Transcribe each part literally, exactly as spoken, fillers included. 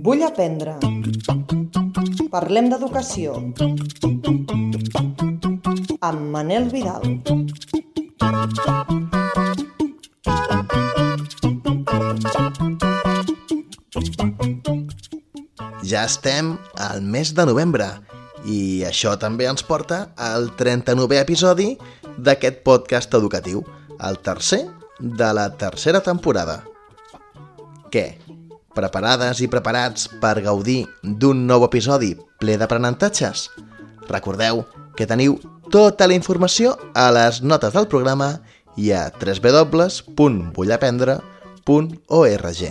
Vull aprendre. Parlem d'educació. Amb Manel Vidal. Ja estem al mes de novembre i això també ens porta al trenta-novè episodi d'aquest podcast educatiu, el tercer de la tercera temporada. Què? Preparades i preparats per gaudir d'un nou episodi ple d'aprenentatges? Recordeu que teniu tota la informació a les notes del programa i a w w w punt vull aprendre punt org.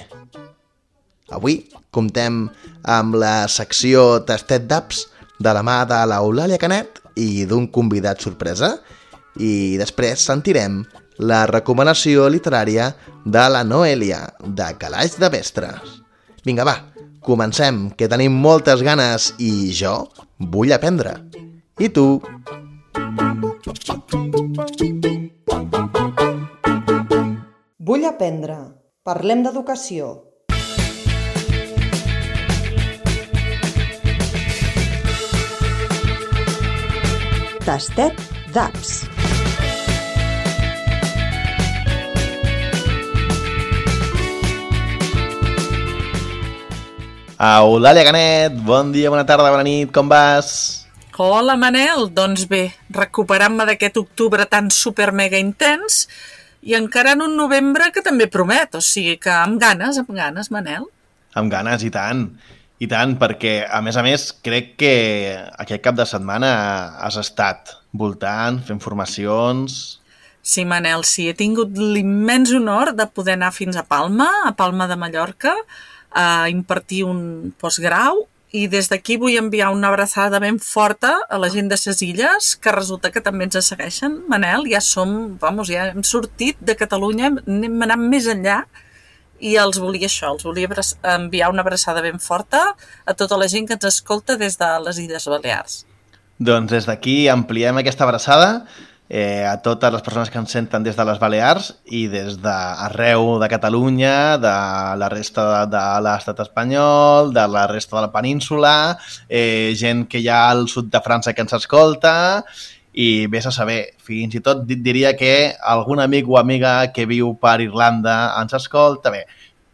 Avui comptem amb la secció Tastet d'Apps de la mà de l'Eulàlia Canet i d'un convidat sorpresa, i després sentirem la recomanació literària de la Noèlia, de Calaix de Mestres. Vinga, va, comencem, que tenim moltes ganes i jo vull aprendre. I tu? Vull aprendre. Parlem d'educació. Tastet d'Apps. Eulàlia Canet, bon dia, bona tarda, bona nit, com vas? Hola, Manel, doncs bé, recuperant-me d'aquest octubre tan super mega intens i encara en un novembre que també promet, o sigui que amb ganes, amb ganes, Manel. Amb ganes, i tant, i tant, perquè a més a més crec que aquest cap de setmana has estat voltant, fent formacions... Sí, Manel, sí, he tingut l'immens honor de poder anar fins a Palma, a Palma de Mallorca, a impartir un postgrau, i des d'aquí vull enviar una abraçada ben forta a la gent de ses Illes, que resulta que també ens segueixen. Manel, ja som, vamos, ja hem sortit de Catalunya, hem anat més enllà, i els volia això, els volia enviar una abraçada ben forta a tota la gent que ens escolta des de les Illes Balears. Doncs des d'aquí ampliem aquesta abraçada eh, a totes les persones que ens senten des de les Balears i des d'arreu de Catalunya, de la resta de, de l'estat espanyol, de la resta de la península, eh, gent que hi ha al sud de França que ens escolta, i vés a saber, fins i tot diria que algun amic o amiga que viu per Irlanda ens escolta. Bé,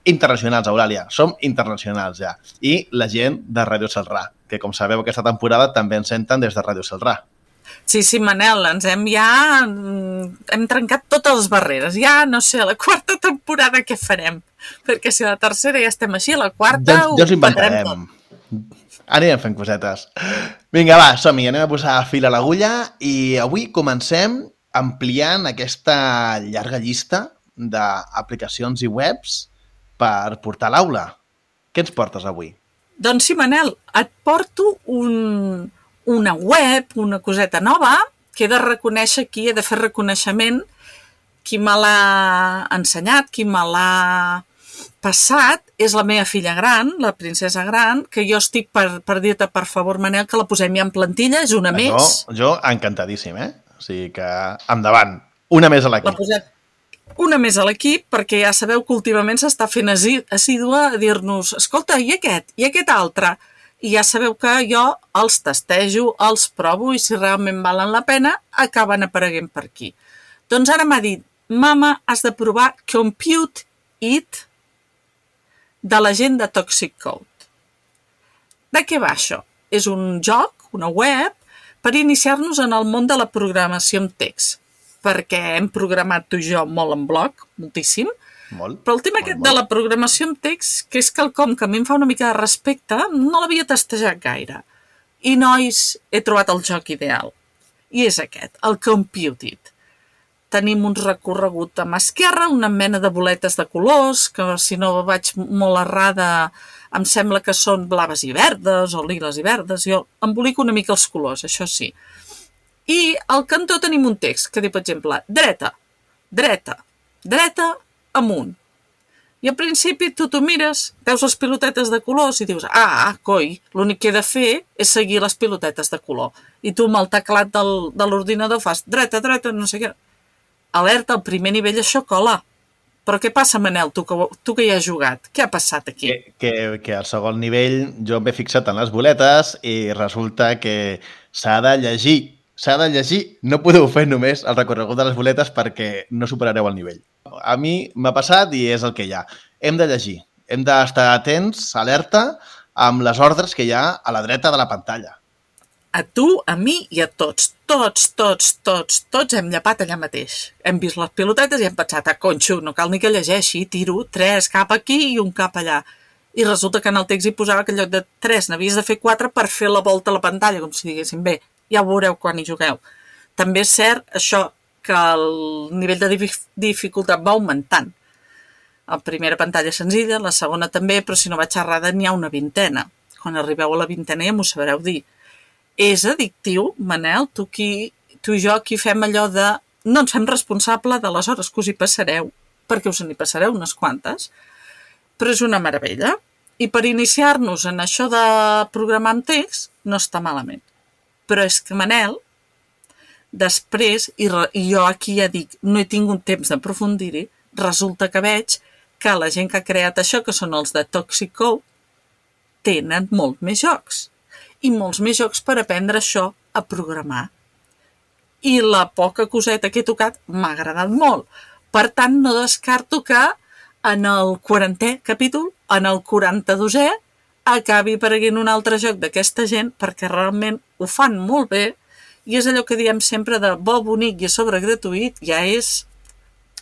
internacionals, Eulàlia, som internacionals ja. I la gent de Ràdio Celrà, que com sabeu aquesta temporada també ens senten des de Ràdio Celrà. Sí, sí, Manel, ens hem ja... hem trencat totes les barreres. Ja, no sé, a la quarta temporada què farem? Perquè si a la tercera ja estem així, a la quarta ja, ja ho inventarem. Anirem fent cosetes. Vinga, va, som-hi, anem a posar fil a l'agulla i avui comencem ampliant aquesta llarga llista d'aplicacions i webs per portar a l'aula. Què ens portes avui? Doncs sí, Manel, et porto un... una web, una coseta nova, que he de reconèixer aquí, he de fer reconeixement, qui me l'ha ensenyat, qui me l'ha passat, és la meva filla gran, la princesa gran, que jo estic per, per dir-te, per favor, Manel, que la posem ja en plantilla, és una jo, més. Jo encantadíssim, eh? O sigui que, endavant, una més a l'equip. La posem una més a l'equip, perquè ja sabeu que últimament s'està fent assídua a dir-nos, escolta, i aquest, i aquest altre? I ja sabeu que jo els testejo, els provo i si realment valen la pena, acaben apareguent per aquí. Doncs ara m'ha dit, mama, has de provar Compute It de la gent de Toxic Code. De què va això? És un joc, una web, per iniciar-nos en el món de la programació amb text, perquè hem programat tu i jo molt en bloc, moltíssim, Molt, però el tema molt, aquest molt. de la programació amb text, que és quelcom que a mi em fa una mica de respecte, no l'havia testejat gaire. I, nois, he trobat el joc ideal. I és aquest, el Compute It. Tenim un recorregut a mà esquerra, una mena de boletes de colors, que si no vaig molt errada, em sembla que són blaves i verdes, o liles i verdes. Jo embolico una mica els colors, això sí. I al cantó tenim un text que diu, per exemple, dreta, dreta, dreta, amunt. I al principi tu t'ho mires, veus les pilotetes de colors i dius, ah, coi, l'únic que he de fer és seguir les pilotetes de color. I tu amb el teclat del, de l'ordinador fas dreta, dreta, no sé què. Alerta, al primer nivell això cola. Però què passa, Manel, tu que, tu que hi has jugat? Què ha passat aquí? Que, que, que al segon nivell jo m'he fixat en les boletes i resulta que s'ha de llegir. S'ha de llegir. No podeu fer només el recorregut de les boletes perquè no superareu el nivell. A mi m'ha passat i és el que hi ha. Hem de llegir. Hem d'estar atents, alerta, amb les ordres que hi ha a la dreta de la pantalla. A tu, a mi i a tots. Tots, tots, tots, tots hem llapat allà mateix. Hem vist les pilotetes i hem pensat, ah, conxo, no cal ni que llegeixi, tiro tres cap aquí i un cap allà. I resulta que en el text hi posava que en lloc de tres n'havies de fer quatre per fer la volta a la pantalla, com si diguéssim, bé, ja ho veureu quan hi jugueu. També és cert això que el nivell de dificultat va augmentant. La primera pantalla senzilla, la segona també, però si no vaig errada n'hi ha una vintena. Quan arribeu a la vintena ja m'ho sabreu dir. És addictiu, Manel, tu, qui, tu i jo aquí fem allò de no ens fem responsable de les hores que us hi passareu, perquè us n'hi passareu unes quantes, però és una meravella. I per iniciar-nos en això de programar amb text no està malament. Però és que, Manel, després, i, re, i jo aquí ja dic, no he tingut temps d'aprofundir-hi, resulta que veig que la gent que ha creat això, que són els de Toxic Code, tenen molt més jocs. I molts més jocs per aprendre això a programar. I la poca coseta que he tocat m'ha agradat molt. Per tant, no descarto que en el quarantè capítol, en el quaranta-dosè, acabi apareguent un altre joc d'aquesta gent perquè realment ho fan molt bé i és allò que diem sempre de bo, bonic i a sobre gratuït, ja és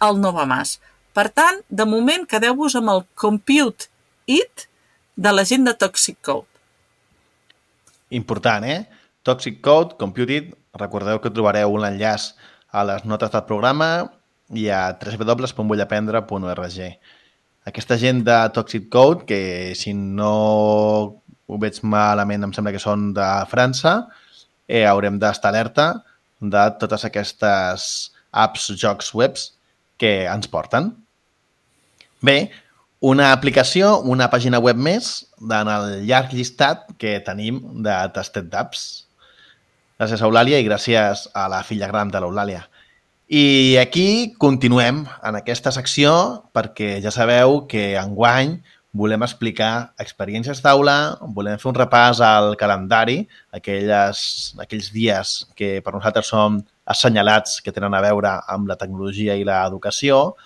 el no va más. Per tant, de moment, quedeu-vos amb el Compute It de la gent de Toxic Code. Important, eh? Toxic Code, Compute It, recordeu que trobareu un enllaç a les notes del programa i a w w w punt bullaprendre punt org. Aquesta gent de Toxic Code, que si no ho veig malament, em sembla que són de França, eh, haurem d'estar alerta de totes aquestes apps, jocs webs que ens porten. Bé, una aplicació, una pàgina web més en el llarg llistat que tenim de Tastet d'Apps. Gràcies a Eulàlia i gràcies a la filla gran de l'Eulàlia. I aquí continuem en aquesta secció perquè ja sabeu que enguany volem explicar experiències d'aula, volem fer un repàs al calendari, aquelles, aquells dies que per nosaltres són assenyalats que tenen a veure amb la tecnologia i l'educació,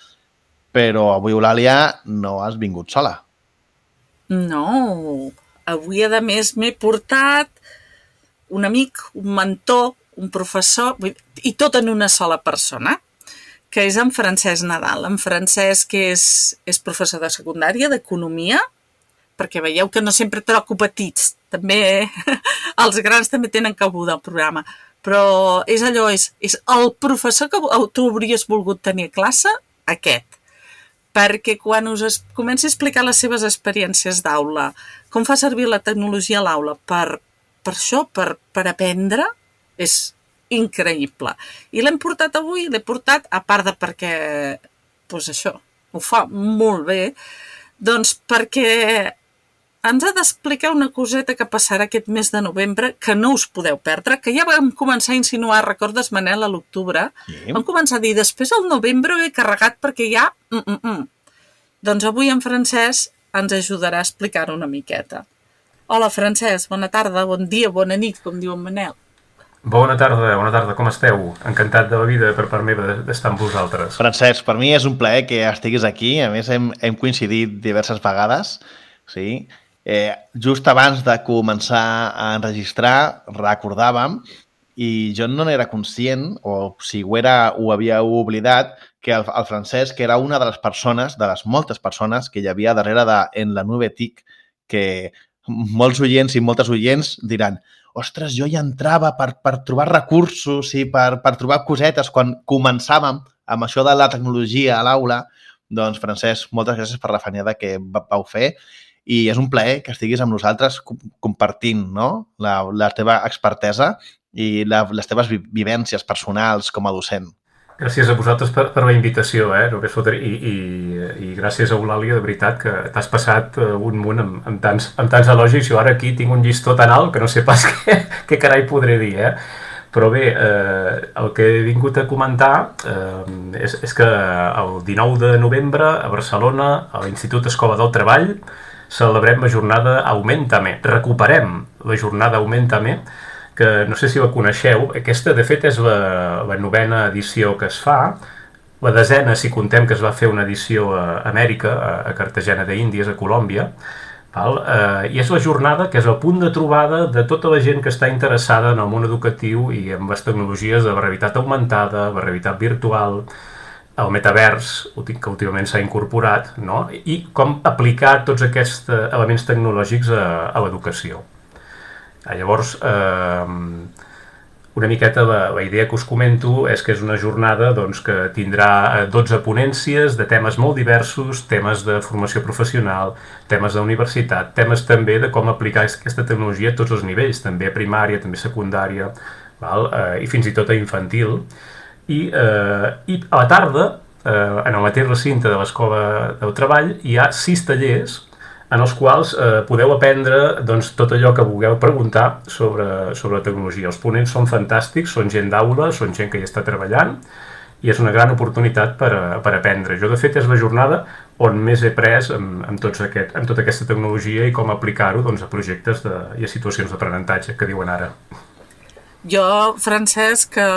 però avui, Eulàlia, no has vingut sola. No, avui a més m'he portat un amic, un mentor, un professor, i tot en una sola persona, que és en Francesc Nadal. En Francesc és, és professor de secundària, d'economia, perquè veieu que no sempre troco petits, també els grans també tenen cabuda al programa, però és allò, és, és el professor que tu hauries volgut tenir a classe, aquest. Perquè quan us comenci a explicar les seves experiències d'aula, com fa servir la tecnologia a l'aula per, per això, per, per aprendre, és increïble. I l'hem portat avui, l'he portat, a part de perquè, doncs això, ho fa molt bé, doncs perquè ens ha d'explicar una coseta que passarà aquest mes de novembre que no us podeu perdre, que ja vam començar a insinuar, recordes, Manel, a l'octubre? Sí. Vam començar a dir, després al novembre ho he carregat perquè ja... Mm -mm -mm. Doncs avui en Francesc ens ajudarà a explicar-ho una miqueta. Hola, Francesc, bona tarda, bon dia, bona nit, com diu en Manel. Bona tarda, bona tarda, com esteu? Encantat de la vida per part meva d'estar amb vosaltres. Francesc, per mi és un plaer que estiguis aquí, a més hem, hem coincidit diverses vegades, sí. Eh, just abans de començar a enregistrar recordàvem, i jo no n'era conscient, o si ho era ho havia oblidat, que el, el Francesc era una de les persones, de les moltes persones que hi havia darrere de En la Nube T I C, que molts oients i moltes oients diran ostres, jo ja entrava per, per trobar recursos i per, per trobar cosetes quan començàvem amb això de la tecnologia a l'aula. Doncs, Francesc, moltes gràcies per la feinada que vau fer i és un plaer que estiguis amb nosaltres compartint, no? la, la teva expertesa i la, les teves vivències personals com a docent. Gràcies a vosaltres per, per la invitació, eh? I, i, i gràcies a Eulàlia, de veritat, que t'has passat un munt amb, amb, tants, amb tants elogis. Jo ara aquí tinc un llistó tan alt que no sé pas què, què carai podré dir, eh? Però bé, eh, el que he vingut a comentar eh, és, és que el dinou de novembre a Barcelona, a l'Institut Escola del Treball, celebrem la jornada Augmentame. Recuperem la jornada Augmentame, que no sé si la coneixeu. Aquesta, de fet, és la, la novena edició que es fa, la desena, si contem que es va fer una edició a Amèrica, a Cartagena d'Índies, a Colòmbia, val? Eh, i és la jornada que és el punt de trobada de tota la gent que està interessada en el món educatiu i en les tecnologies de la realitat augmentada, la realitat virtual, el metavers, que últimament s'ha incorporat, no? I com aplicar tots aquests elements tecnològics a, a l'educació. Llavors, eh, una miqueta la, la idea que us comento és que és una jornada doncs, que tindrà dotze ponències de temes molt diversos, temes de formació professional, temes d'universitat, temes també de com aplicar aquesta tecnologia a tots els nivells, també a primària, també a secundària, val? Eh, i fins i tot a infantil. I, eh, i a la tarda, eh, en el mateix recinte de l'Escola del Treball, hi ha sis tallers en els quals eh, podeu aprendre doncs, tot allò que vulgueu preguntar sobre, sobre la tecnologia. Els ponents són fantàstics, són gent d'aula, són gent que hi està treballant i és una gran oportunitat per, a, per aprendre. Jo, de fet, és la jornada on més he pres amb, amb, tots aquest, amb tota aquesta tecnologia i com aplicar-ho doncs, a projectes de, i a situacions d'aprenentatge que diuen ara. Jo, Francesc, que,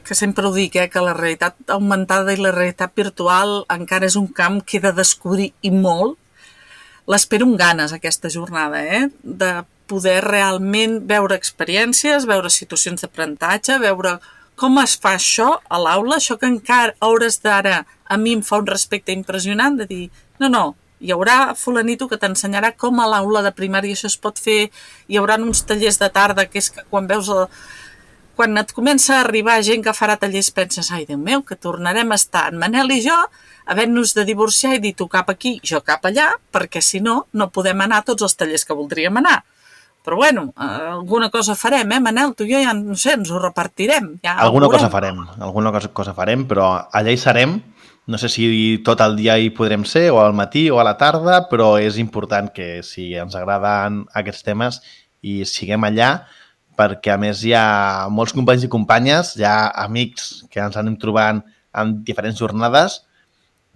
que sempre ho dic, eh, que la realitat augmentada i la realitat virtual encara és un camp que he de descobrir i molt. L'espero amb ganes, aquesta jornada, eh? De poder realment veure experiències, veure situacions d'aprenentatge, veure com es fa això a l'aula, això que encara a hores d'ara a mi em fa un respecte impressionant de dir, no, no, hi haurà fulanito que t'ensenyarà com a l'aula de primària això es pot fer, hi haurà uns tallers de tarda que és que quan veus el... quan et comença a arribar gent que farà tallers penses, ai, Déu meu, que tornarem a estar en Manel i jo havent-nos de divorciar i dir tu cap aquí, jo cap allà, perquè si no, no podem anar a tots els tallers que voldríem anar. Però bueno, alguna cosa farem, eh, Manel? Tu i jo ja, no sé, ens ho repartirem. Ja alguna cosa farem, alguna cosa, cosa farem, però allà hi serem. No sé si tot el dia hi podrem ser, o al matí o a la tarda, però és important que si ens agraden aquests temes i siguem allà, perquè a més hi ha molts companys i companyes, hi ha amics que ens anem trobant en diferents jornades,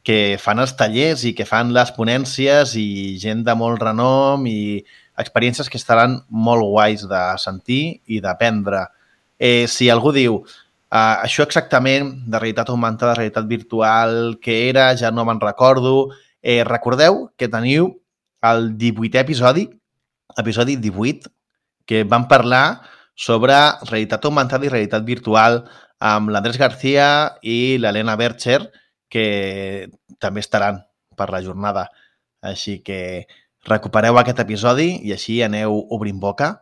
que fan els tallers i que fan les ponències i gent de molt renom i experiències que estaran molt guais de sentir i d'aprendre. Eh, si algú diu eh, això exactament de realitat augmentada, realitat virtual, què era, ja no me'n recordo, eh, recordeu que teniu el divuitè episodi, episodi divuit, que vam parlar sobre realitat augmentada i realitat virtual amb l'Andrés García i l'Helena Bercher, que també estaran per la jornada. Així que recupereu aquest episodi i així aneu obrint boca.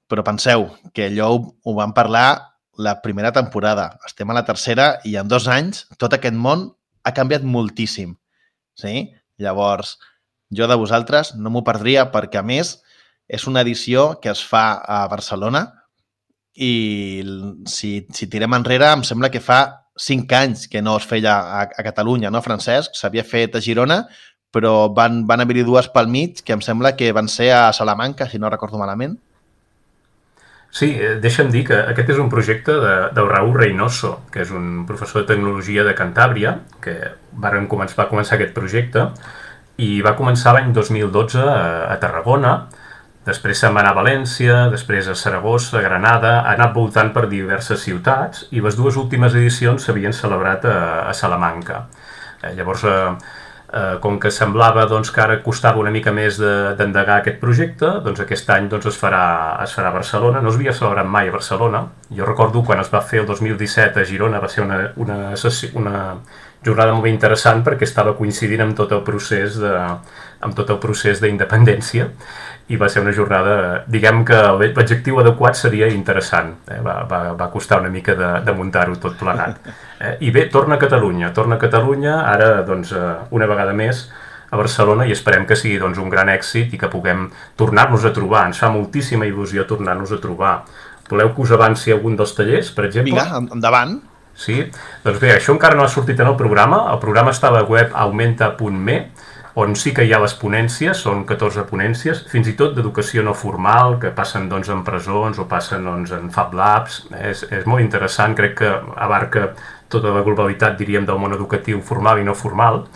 Però penseu que allò ho vam parlar la primera temporada. Estem a la tercera i en dos anys tot aquest món ha canviat moltíssim. Sí? Llavors, jo de vosaltres no m'ho perdria perquè, a més, és una edició que es fa a Barcelona i si, si tirem enrere em sembla que fa cinc anys que no es feia a, a Catalunya, no, Francesc? S'havia fet a Girona, però van, van haver-hi dues pel mig, que em sembla que van ser a Salamanca, si no recordo malament. Sí, deixa'm dir que aquest és un projecte de, del Raúl Reynoso, que és un professor de tecnologia de Cantàbria, que varen començar, va començar aquest projecte, i va començar l'any dos mil dotze a, a Tarragona, després se'n va anar a València, després a Saragossa, a Granada, ha anat voltant per diverses ciutats i les dues últimes edicions s'havien celebrat a, a Salamanca. Eh, llavors, eh, eh, com que semblava doncs, que ara costava una mica més d'endegar de, aquest projecte, doncs aquest any doncs, es, farà, es farà a Barcelona. No es havia celebrat mai a Barcelona. Jo recordo quan es va fer el dos mil disset a Girona, va ser una, una, una jornada molt interessant perquè estava coincidint amb tot el procés de, amb tot el procés d'independència. I va ser una jornada, diguem que l'adjectiu adequat seria interessant. Eh? Va, va, va costar una mica de, de muntar-ho tot plenat. Eh? I bé, torna a Catalunya. Torna a Catalunya, ara, doncs, una vegada més, a Barcelona, i esperem que sigui doncs, un gran èxit i que puguem tornar-nos a trobar. Ens fa moltíssima il·lusió tornar-nos a trobar. Voleu que us avanci algun dels tallers, per exemple? Vinga, endavant. Sí? Doncs bé, això encara no ha sortit en el programa. El programa està a la web augmenta punt me. On sí que hi ha les ponències, són catorze ponències, fins i tot d'educació no formal, que passen doncs, en presons o passen doncs, en Fab Labs. És, és molt interessant, crec que abarca tota la globalitat, diríem, del món educatiu formal i no formal.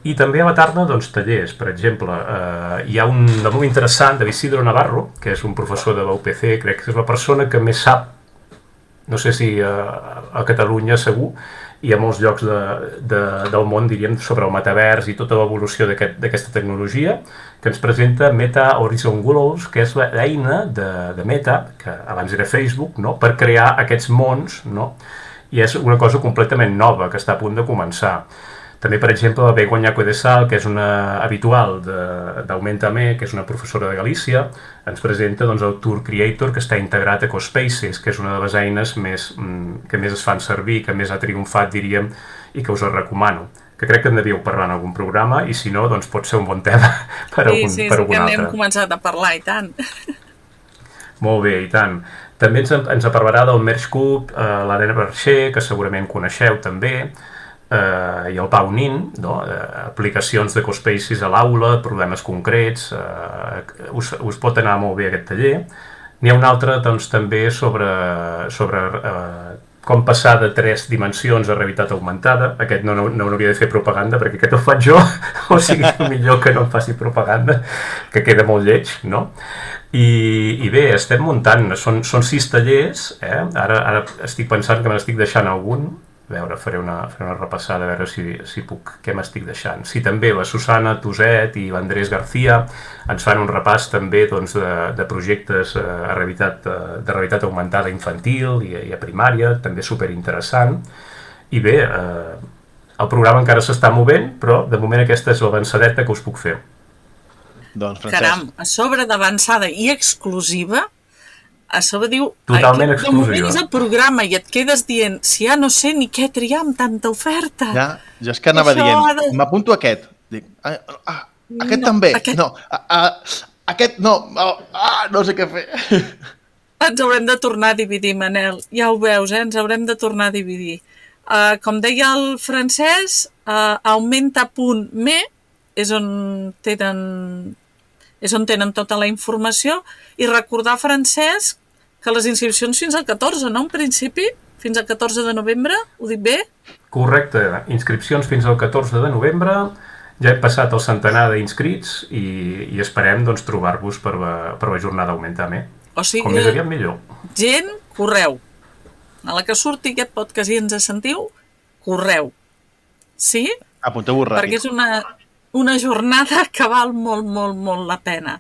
I també a la tarda, doncs, tallers. Per exemple, eh, hi ha un de molt interessant d'Isidro Navarro, que és un professor de la U P C, crec que és la persona que més sap, no sé si a, a Catalunya segur, i a molts llocs de, de, del món, diríem, sobre el metavers i tota l'evolució d'aquesta aquest, tecnologia, que ens presenta Meta Horizon Worlds, que és l'eina de, de Meta, que abans era Facebook, no?, per crear aquests mons, no?, i és una cosa completament nova, que està a punt de començar. També, per exemple, la Begoña Codesal, que és una habitual d'Augmentame, que és una professora de Galícia, ens presenta doncs, el Tour Creator, que està integrat a EcoSpaces, que és una de les eines més, que més es fan servir, que més ha triomfat, diríem, i que us el recomano. Que crec que en devíeu parlar en algun programa, i si no, doncs pot ser un bon tema per algun, sí, sí, per algun sí, altre. que n'hem començat a parlar, i tant. Molt bé, i tant. També ens, ens parlarà del Merge Cube, eh, l'Helena Bercher, que segurament coneixeu també, Uh, i el Pau Nin, no? uh, aplicacions d'EcoSpaces a l'aula, problemes concrets, uh, us, us pot anar molt bé aquest taller. N'hi ha un altre doncs, també sobre, sobre uh, com passar de tres dimensions a realitat augmentada. Aquest no, no, no hauria de fer propaganda, perquè aquest ho faig jo, o sigui, millor que no em faci propaganda, que queda molt lleig, no? I, i bé, estem muntant, són, són sis tallers, eh? ara, ara estic pensant que me n'estic deixant algun. A veure, faré una, faré una repassada a veure si, si puc, què m'estic deixant. Sí, també la Susana Toset i l'Andrés García ens fan un repàs també doncs, de, de projectes a realitat, de realitat augmentada infantil i, i a primària, també superinteressant. I bé, eh, el programa encara s'està movent, però de moment aquesta és l'avançadeta que us puc fer. Doncs, Francesc. Caram, a sobre d'avançada i exclusiva, a sobre diu, totalment de moment és el programa i et quedes dient, si ja no sé ni què triar amb tanta oferta. Ja, jo és que anava Això dient, de... m'apunto aquest. Dic, ah, ah, aquest no, també. Aquest... No, ah, ah, aquest no. Ah, no sé què fer. Ens haurem de tornar a dividir, Manel. Ja ho veus, eh? Ens haurem de tornar a dividir. Uh, com deia el francès, uh, augmenta punt me és on tenen... és on tenen tota la informació, i recordar, Francesc, que les inscripcions fins al catorze, no? En principi, fins al catorze de novembre, ho dic bé? Correcte, inscripcions fins al catorze de novembre, ja hem passat el centenar d'inscrits i, i esperem doncs, trobar-vos per, la, per la jornada Augmentame. O sigui, com més aviat millor. Gent, correu. A la que surti aquest podcast i ens sentiu, correu. Sí? Apunteu-vos ràpid. Perquè és una... una jornada que val molt, molt, molt la pena.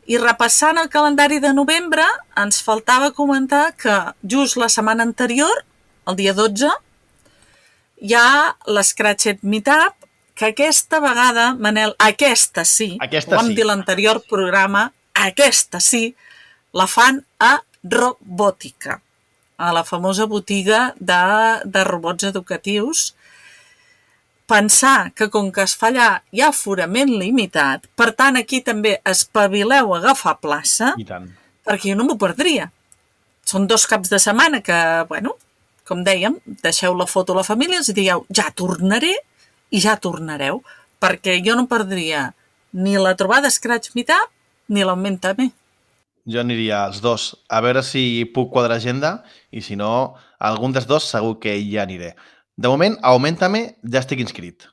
I repassant el calendari de novembre, ens faltava comentar que just la setmana anterior, el dia dotze, hi ha l'Scratchet Meetup, que aquesta vegada, Manel, aquesta sí, aquesta ho vam sí. dir l'anterior programa, aquesta sí, la fan a Robòtica, a la famosa botiga de, de robots educatius. Pensar que com que es fa allà hi ha aforament limitat, per tant aquí també espavileu a agafar plaça, I tant. perquè jo no m'ho perdria. Són dos caps de setmana que, bueno, com dèiem, deixeu la foto a la família, els dieu, ja tornaré i ja tornareu, perquè jo no perdria ni la trobada Scratch Meetup ni l'Augmentame. Jo aniria als dos, a veure si puc quadrar agenda, i si no, algun dels dos segur que ja aniré. De moment, a Augmentame ja estic inscrit,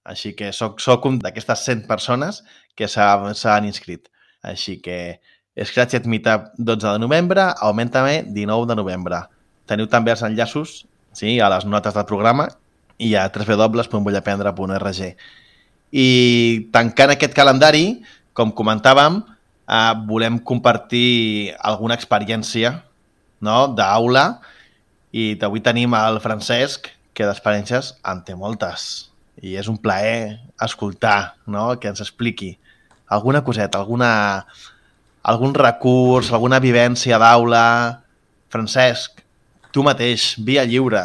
així que soc, soc un d'aquestes cent persones que s'han inscrit. Així que Scratchet Meetup dotze de novembre, Augmentame dinou de novembre. Teniu també els enllaços, sí, a les notes del programa i a w w w punt vullaprendre punt org. I tancant aquest calendari, com comentàvem, eh, volem compartir alguna experiència, no?, d'aula, i avui tenim el Francesc, que d'experiències en té moltes. I és un plaer escoltar, no?, que ens expliqui alguna coseta, alguna, algun recurs, alguna vivència d'aula. Francesc, tu mateix, via lliure.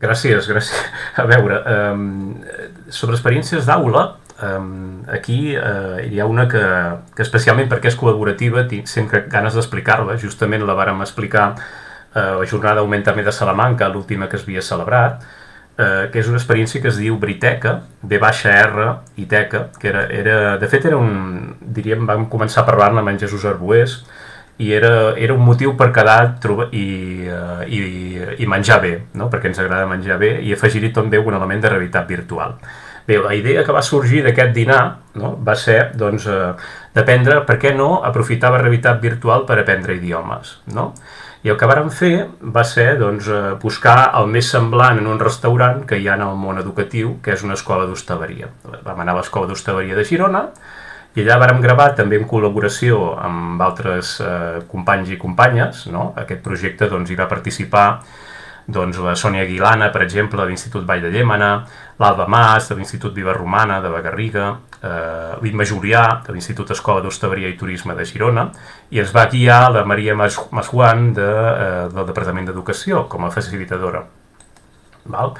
Gràcies, gràcies. A veure, um, sobre experiències d'aula, um, aquí uh, hi ha una que, que especialment perquè és col·laborativa, tinc sempre ganes d'explicar-la. Justament la vàrem explicar a la jornada Augmentame de Salamanca, l'última que es havia celebrat, eh, que és una experiència que es diu Briteca, B baixa R i Teca, que era, era, de fet era un, diríem, vam començar a parlar-ne amb en Jesús Arbués, i era, era un motiu per quedar trobar, i, uh, i, i menjar bé, no? Perquè ens agrada menjar bé, i afegir-hi també un element de realitat virtual. Bé, la idea que va sorgir d'aquest dinar, no? Va ser doncs, uh, d'aprendre, per què no, aprofitar la realitat virtual per aprendre idiomes, no? I el que vàrem fer va ser doncs, buscar el més semblant en un restaurant que hi ha en el món educatiu, que és una escola d'hostaleria. Vam anar a l'escola d'hostaleria de Girona, i allà vàrem gravar també en col·laboració amb altres eh, companys i companyes, no? Aquest projecte doncs, hi va participar doncs, la Sònia Aguilana, per exemple, de l'Institut Vall de Llémena, l'Alba Mas, de l'Institut Viva Romana, de la Garriga, eh, l'Imma Julià, de l'Institut Escola d'Hostaleria i Turisme de Girona, i ens va guiar la Maria Masjuan de, eh, del Departament d'Educació com a facilitadora. Val?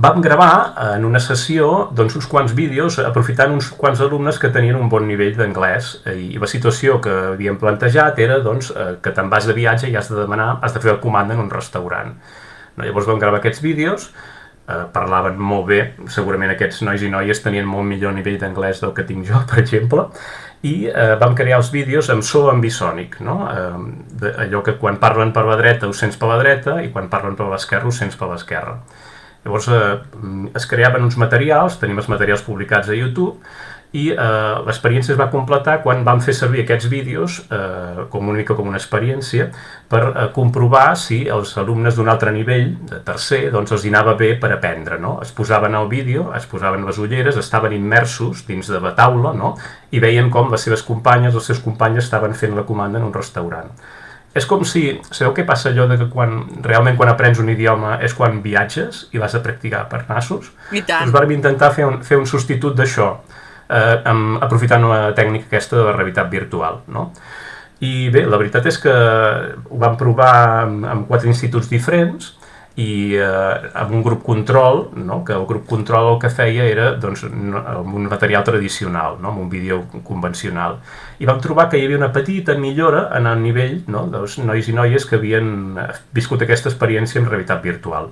Vam gravar en una sessió doncs, uns quants vídeos aprofitant uns quants alumnes que tenien un bon nivell d'anglès, i la situació que havíem plantejat era doncs, que te'n vas de viatge i has de demanar, has de fer la comanda en un restaurant. No, llavors vam gravar aquests vídeos, eh, parlaven molt bé, segurament aquests nois i noies tenien molt millor nivell d'anglès del que tinc jo, per exemple, i eh, vam crear els vídeos amb so ambisònic, no? eh, de, allò que quan parlen per la dreta ho sents per la dreta i quan parlen per l'esquerra ho sents per l'esquerra. Llavors eh, es creaven uns materials, tenim els materials publicats a YouTube, i eh, l'experiència es va completar quan vam fer servir aquests vídeos eh, com una mica com una experiència per eh, comprovar si els alumnes d'un altre nivell, de tercer, doncs els hi anava bé per aprendre, no? Es posaven al vídeo, es posaven les ulleres, estaven immersos dins de la taula, no? I veien com les seves companyes, els seus companys estaven fent la comanda en un restaurant. És com si, sabeu què passa allò de que quan, realment quan aprens un idioma és quan viatges i vas a practicar per nassos? I tant. Doncs vam intentar fer un, fer un substitut d'això, eh, amb, aprofitant la tècnica aquesta de la realitat virtual, no? I bé, la veritat és que ho vam provar amb, amb quatre instituts diferents i eh, amb un grup control, no? Que el grup control el que feia era doncs, amb un material tradicional, no? Amb un vídeo convencional. I vam trobar que hi havia una petita millora en el nivell, no? Dels nois i noies que havien viscut aquesta experiència en realitat virtual.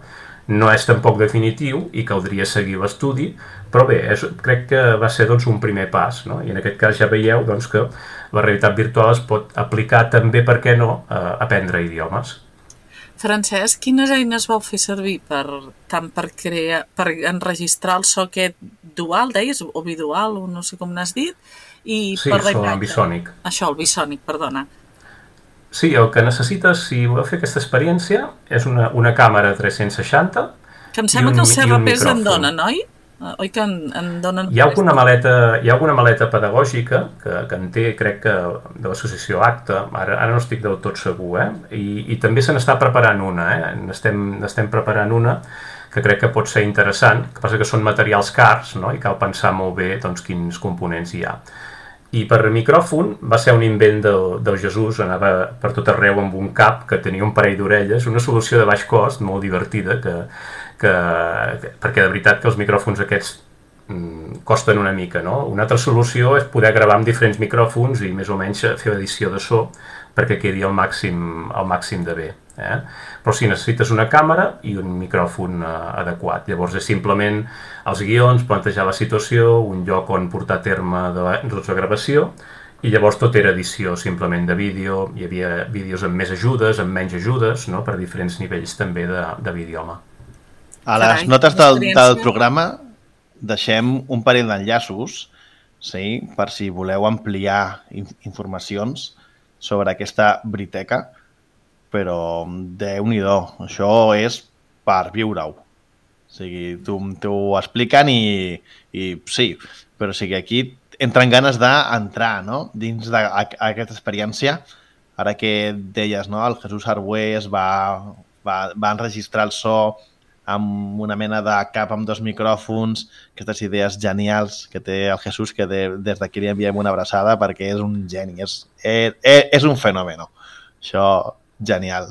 No és tampoc definitiu i caldria seguir l'estudi, però bé, és, crec que va ser doncs, un primer pas, no? I en aquest cas ja veieu doncs, que la realitat virtual es pot aplicar també, per què no, a aprendre idiomes. Francesc, quines eines vau fer servir per, tant per, crear, per enregistrar el so aquest dual, deies, o bidual, o no sé com n'has dit, i sí, per so ambisònic. Això, el bisònic, perdona. Sí, el que necessites, si voleu fer aquesta experiència, és una, una càmera tres-cents seixanta que em sembla un, que els C R Ps en micròfon. donen, oi? Oi que en, en donen... Hi ha alguna maleta, hi ha alguna maleta pedagògica que, que en té, crec que, de l'associació Acta, ara, ara no estic del tot segur, eh? I, i també se n'està preparant una, eh? N'estem, n'estem preparant una que crec que pot ser interessant, que passa que són materials cars, no? I cal pensar molt bé doncs, quins components hi ha. I per micròfon va ser un invent del, del Jesús, anava per tot arreu amb un cap que tenia un parell d'orelles, una solució de baix cost, molt divertida, que, que, perquè de veritat que els micròfons aquests mm, costen una mica, no? Una altra solució és poder gravar amb diferents micròfons i més o menys fer edició de so perquè quedi al màxim, al màxim de bé. Eh? Però si necessites una càmera i un micròfon eh, adequat. Llavors és simplement els guions, plantejar la situació, un lloc on portar a terme de la, doncs, la gravació, i llavors tot era edició simplement de vídeo, hi havia vídeos amb més ajudes, amb menys ajudes, no? Per diferents nivells també de, de l'idioma. A les Carai, notes del, experiència. del programa deixem un parell d'enllaços, sí, per si voleu ampliar in- informacions sobre aquesta Briteca, però déu-n'hi-do, això és per viure-ho. O sigui, t'ho expliquen i, i sí, però o sigui, aquí entren ganes d'entrar, no? Dins d'aquesta experiència. Ara que deies, no? El Jesús Arbués va, va, va enregistrar el so amb una mena de cap amb dos micròfons, aquestes idees genials que té el Jesús, que de, des d'aquí li enviem una abraçada perquè és un geni, és, és, és un fenomen. Això, genial.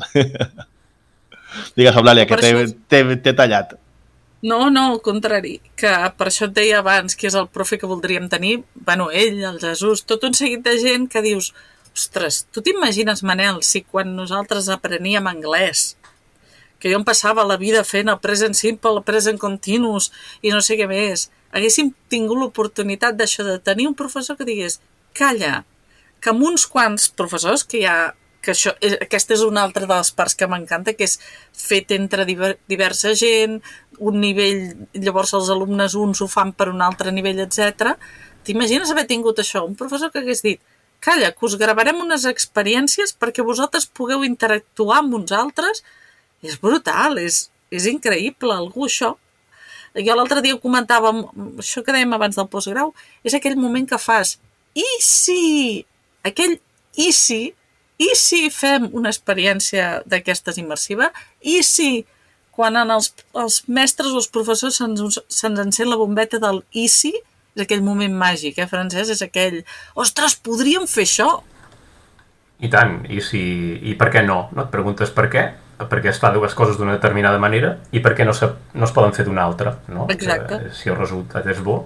Digues, Eulàlia, que t'he tallat. No, no, al contrari, que per això et deia abans que és el profe que voldríem tenir, bueno, ell, el Jesús, tot un seguit de gent que dius, ostres, tu t'imagines, Manel, si quan nosaltres apreníem anglès, que jo em passava la vida fent el present simple, el present continuous i no sé què més, haguéssim tingut l'oportunitat d'això, de tenir un professor que digués, calla, que amb uns quants professors que hi ha, que això, aquesta és una altra de les parts que m'encanta, que és fet entre diversa gent, un nivell, llavors els alumnes uns ho fan per un altre nivell, etcètera. T'imagines haver tingut això, un professor que hagués dit, calla, que us gravarem unes experiències perquè vosaltres pugueu interactuar amb uns altres. És brutal, és, és increïble, algú això. Jo l'altre dia comentava, això que dèiem abans del postgrau, és aquell moment que fas, i si, aquell i si, i si fem una experiència d'aquestes immersiva, i si quan en els, els mestres o els professors se'ns se'ns encén la bombeta del i si, és aquell moment màgic, eh, Francesc? És aquell, ostres, podríem fer això? I tant, i, si, i per què no? no? Et preguntes per què, perquè es fa dues coses d'una determinada manera i per què no, se, no es poden fer d'una altra. No? Exacte. Que, si el resultat és bo,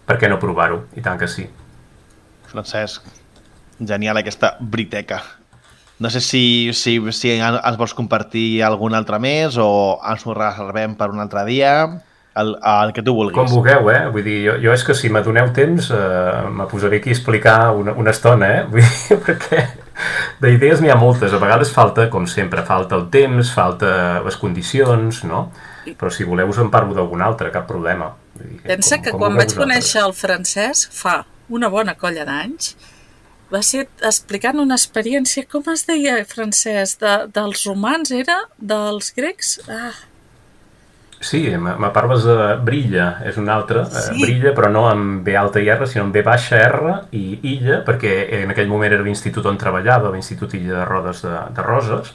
per què no provar-ho? I tant que sí. Francesc, genial aquesta briteca. No sé si, si, si ens vols compartir algun altre més o ens ho reservem per un altre dia, el, el que tu vulguis. Com vulgueu, eh? Vull dir, jo, jo és que si m'adoneu temps eh, me posaré aquí a explicar una, una estona, eh? Vull dir, perquè d'idees n'hi ha moltes. A vegades falta, com sempre, falta el temps, falta les condicions, no? Però si voleu us en parlo d'algun altre, cap problema. Vull dir, pensa com, que com quan vaig conèixer el Francesc fa una bona colla d'anys, va ser explicant una experiència, com es deia, Francesc, de, dels romans, era? Dels grecs? Ah. Sí, me parles de Brilla, és una altra, sí. Brilla, però no amb B alta i R, sinó amb B baixa R i Illa, perquè en aquell moment era l'institut on treballava, l'Institut Illa de Rodes de, de Roses,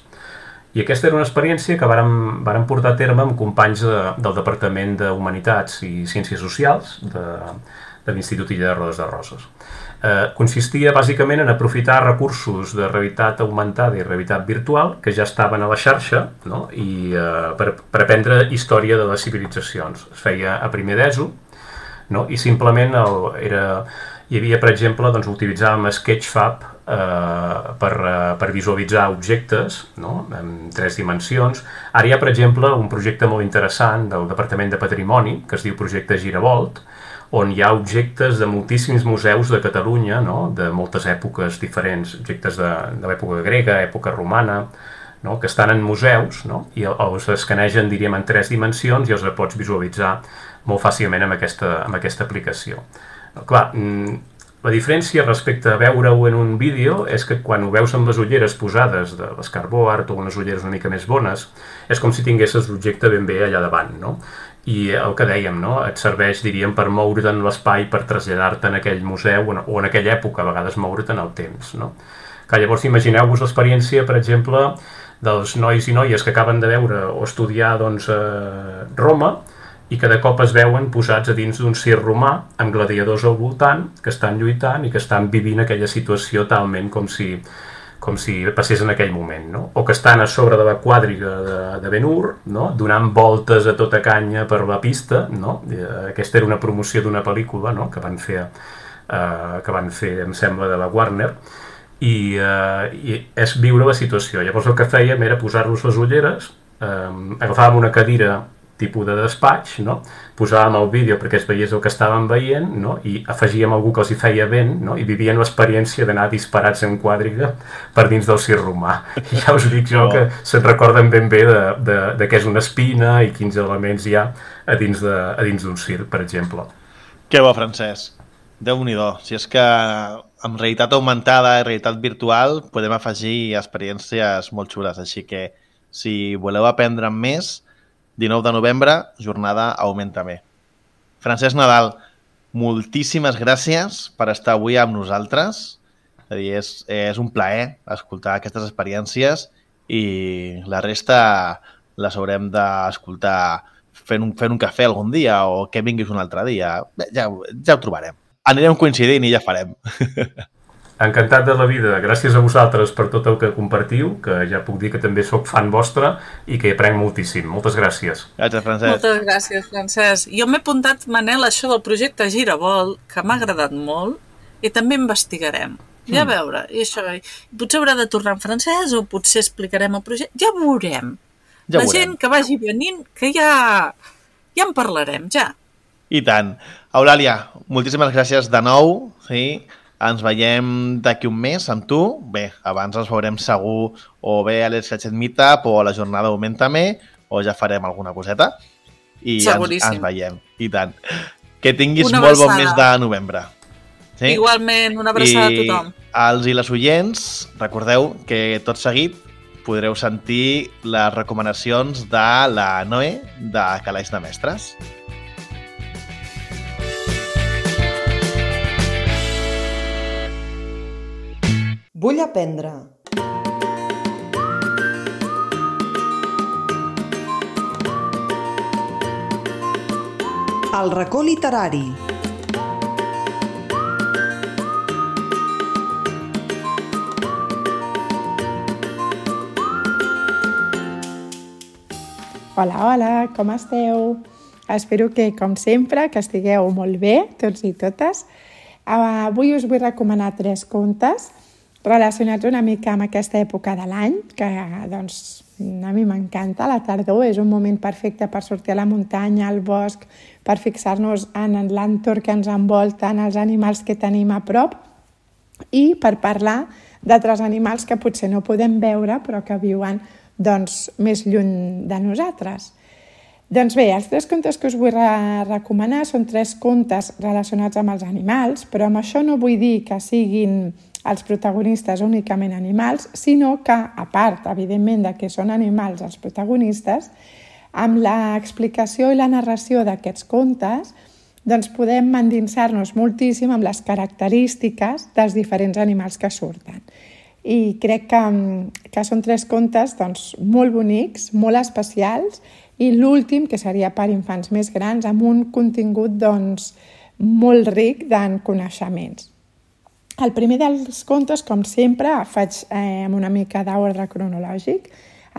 i aquesta era una experiència que vàrem, vàrem portar a terme amb companys de, del Departament d'Humanitats i Ciències Socials de, de l'Institut Illa de Rodes de Roses. Eh, consistia bàsicament en aprofitar recursos de realitat augmentada i realitat virtual que ja estaven a la xarxa, no? I eh, per, per aprendre història de les civilitzacions. Es feia a primer d'ESO, no? I simplement el, era, hi havia, per exemple, doncs, utilitzàvem Sketchfab eh, per, eh, per visualitzar objectes, no? En tres dimensions. Ara hi ha, per exemple, un projecte molt interessant del Departament de Patrimoni que es diu Projecte Giravolt, on hi ha objectes de moltíssims museus de Catalunya, no? De moltes èpoques diferents, objectes de, de l'època grega, època romana, no? Que estan en museus, no? I els escanegen, diríem, en tres dimensions i els pots visualitzar molt fàcilment amb aquesta, amb aquesta aplicació. No, clar, la diferència respecte a veure-ho en un vídeo és que quan ho veus amb les ulleres posades de l'Scarboard o unes ulleres una mica més bones, és com si tinguessis l'objecte ben bé allà davant, no? I el que dèiem, no? Et serveix, diríem, per moure't en l'espai, per traslladar-te en aquell museu o en aquella època, a vegades moure't en el temps, no? Que llavors imagineu-vos l'experiència, per exemple, dels nois i noies que acaben de veure o estudiar doncs, a Roma i que de cop es veuen posats a dins d'un circ romà amb gladiadors al voltant que estan lluitant i que estan vivint aquella situació talment com si... com si passés en aquell moment, no? O que estan a sobre de la quadriga de, de Ben-Hur, no? Donant voltes a tota canya per la pista, no? Aquesta era una promoció d'una pel·lícula, no? Que van fer, eh, que van fer, em sembla, de la Warner, i, eh, i és viure la situació. Llavors el que fèiem era posar-nos les ulleres, eh, agafàvem una cadira tipus de despatx, no? Posàvem el vídeo perquè es veiés el que estàvem veient, no? I afegíem algú que els hi feia vent, no? I vivien l'experiència d'anar disparats en quadriga per dins del circ romà. I ja us dic jo que se'n recorden ben bé de, de, de què és una espina i quins elements hi ha a dins de, a dins d'un circ, per exemple. Que bo, Francesc. Déu-n'hi-do. Si és que amb realitat augmentada i realitat virtual podem afegir experiències molt xules, així que si voleu aprendre més, dinou de novembre, jornada Augmentame. Francesc Nadal, moltíssimes gràcies per estar avui amb nosaltres. És a dir, és, és un plaer escoltar aquestes experiències i la resta les haurem d'escoltar fent un, fent un cafè algun dia o que vinguis un altre dia. Ja, ja ho trobarem. Anirem coincidint i ja farem. Encantat de la vida. Gràcies a vosaltres per tot el que compartiu, que ja puc dir que també sóc fan vostre i que hi aprenc moltíssim. Moltes gràcies. Gràcies, Francesc. Moltes gràcies, Francesc. Jo m'he apuntat, Manel, això del projecte Giravolt, que m'ha agradat molt, i també investigarem. Ja a veure, i això, potser haurà de tornar en francès o potser explicarem el projecte. Ja veurem. Ja la veurem. gent que vagi venint, que ja, ja en parlarem, ja. I tant. Eulàlia, moltíssimes gràcies de nou. Sí? Ens veiem d'aquí un mes amb tu. Bé, abans ens veurem segur o bé a l'Scratchet Meetup o a la jornada Augmentame, o ja farem alguna coseta. I ens, ens veiem. I tant. Que tinguis Una molt bon abraçada. mes de novembre. Sí? Igualment, una abraçada I a tothom. als i les oients, recordeu que tot seguit podreu sentir les recomanacions de la Noé de Calaix de Mestres. Vull aprendre. El racó literari. Hola, hola, com esteu? Espero que, com sempre, que estigueu molt bé, tots i totes. Avui us vull recomanar tres contes relacionats una mica amb aquesta època de l'any, que doncs, a mi m'encanta. La tardor és un moment perfecte per sortir a la muntanya, al bosc, per fixar-nos en l'entorn que ens envolta, en els animals que tenim a prop i per parlar d'altres animals que potser no podem veure però que viuen doncs, més lluny de nosaltres. Doncs bé, els tres contes que us vull recomanar són tres contes relacionats amb els animals, però amb això no vull dir que siguin els protagonistes únicament animals, sinó que, a part, evidentment, de que són animals els protagonistes, amb l'explicació i la narració d'aquests contes, doncs podem endinsar-nos moltíssim amb les característiques dels diferents animals que surten. I crec que, que són tres contes doncs, molt bonics, molt especials, i l'últim, que seria per infants més grans, amb un contingut doncs, molt ric en coneixements. El primer dels contes, com sempre, faig eh, amb una mica d'ordre cronològic.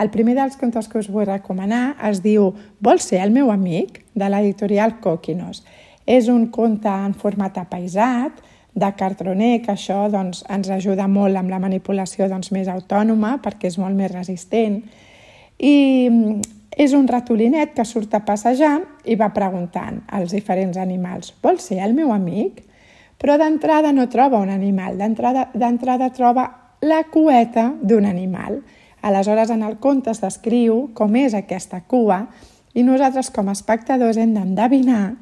El primer dels contes que us vull recomanar es diu Vols ser el meu amic?, de l'editorial Coquinos. És un conte en format apaïsat, de cartroner, que això doncs, ens ajuda molt amb la manipulació doncs, més autònoma, perquè és molt més resistent. I és un ratolinet que surt a passejar i va preguntant als diferents animals «Vols ser el meu amic?». Però d'entrada no troba un animal, d'entrada troba la cueta d'un animal. Aleshores, en el conte es descriu com és aquesta cua i nosaltres, com a espectadors, hem d'endevinar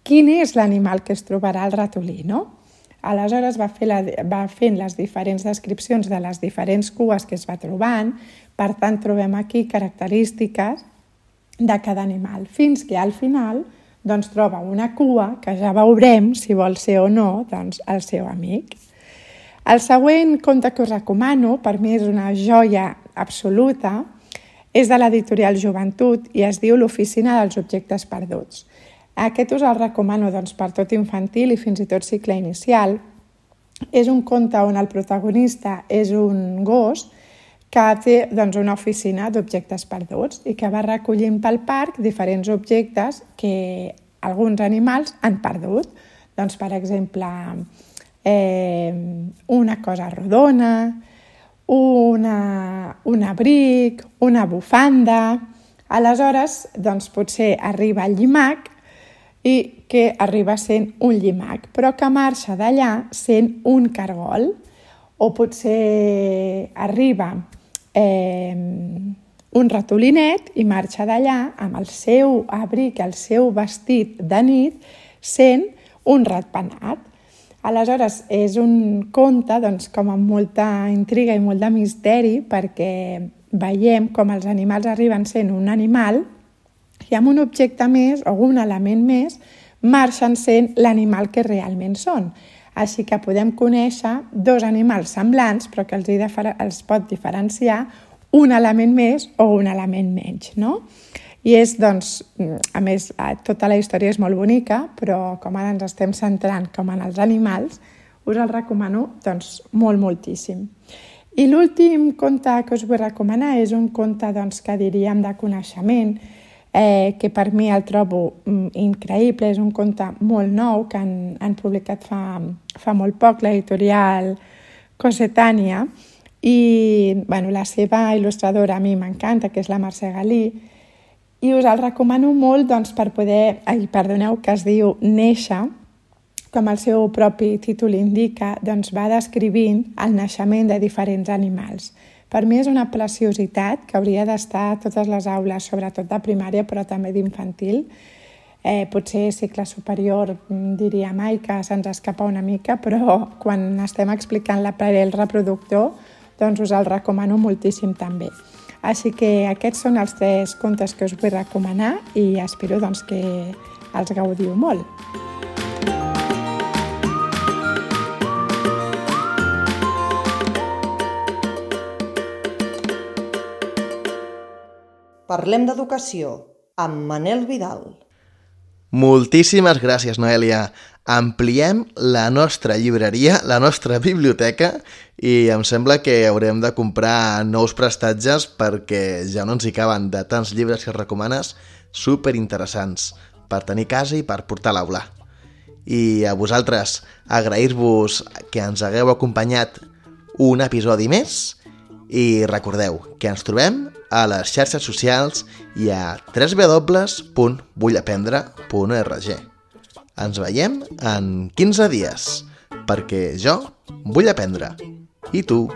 quin és l'animal que es trobarà el ratolí, no? Aleshores va, fer la, va fent les diferents descripcions de les diferents cues que es va trobant, per tant trobem aquí característiques de cada animal, fins que al final doncs, troba una cua que ja veurem si vol ser o no doncs, el seu amic. El següent conte que us recomano, per mi és una joia absoluta, és de l'editorial Joventut i es diu L'oficina dels objectes perduts. Aquest us el recomano doncs, per tot infantil i fins i tot cicle inicial. És un conte on el protagonista és un gos que té doncs, una oficina d'objectes perduts i que va recollint pel parc diferents objectes que alguns animals han perdut. Doncs, per exemple, eh, una cosa rodona, una, un abric, una bufanda. Aleshores, doncs, potser arriba el llimac i que arriba sent un llimac, però que marxa d'allà sent un cargol. O potser arriba eh, un ratolinet i marxa d'allà amb el seu abric, el seu vestit de nit, sent un ratpenat. Aleshores, és un conte doncs, com amb molta intriga i molt de misteri, perquè veiem com els animals arriben sent un animal i amb un objecte més o un element més marxen sent l'animal que realment són. Així que podem conèixer dos animals semblants però que els, els pot diferenciar un element més o un element menys, no? I és, doncs, a més, tota la història és molt bonica, però com ara ens estem centrant com en els animals, us el recomano doncs, molt, moltíssim. I l'últim conte que us vull recomanar és un conte doncs, que diríem de coneixement, eh, que per mi el trobo mm, increïble, és un conte molt nou que han, han publicat fa, fa molt poc l'editorial Cossetània i bueno, la seva il·lustradora a mi m'encanta, que és la Mercè Galí, i us el recomano molt doncs, per poder, ai, perdoneu, que es diu Néixer, com el seu propi títol indica, doncs va descrivint el naixement de diferents animals. Per mi és una preciositat que hauria d'estar a totes les aules, sobretot de primària, però també d'infantil. Eh, potser cicle superior diria mai que se'ns escapa una mica, però quan estem explicant l'aparell reproductor, doncs us el recomano moltíssim també. Així que aquests són els tres contes que us vull recomanar i espero doncs, que els gaudiu molt. Parlem d'educació amb Manel Vidal. Moltíssimes gràcies, Noèlia. Ampliem la nostra llibreria, la nostra biblioteca, i em sembla que haurem de comprar nous prestatges perquè ja no ens hi caben de tants llibres que recomanes superinteressants per tenir a casa i per portar a l'aula. I a vosaltres, agrair-vos que ens hagueu acompanyat un episodi més i recordeu que ens trobem a les xarxes socials i a w w w punt vull aprendre punt org. Ens veiem en quinze dies, perquè jo vull aprendre. I tu?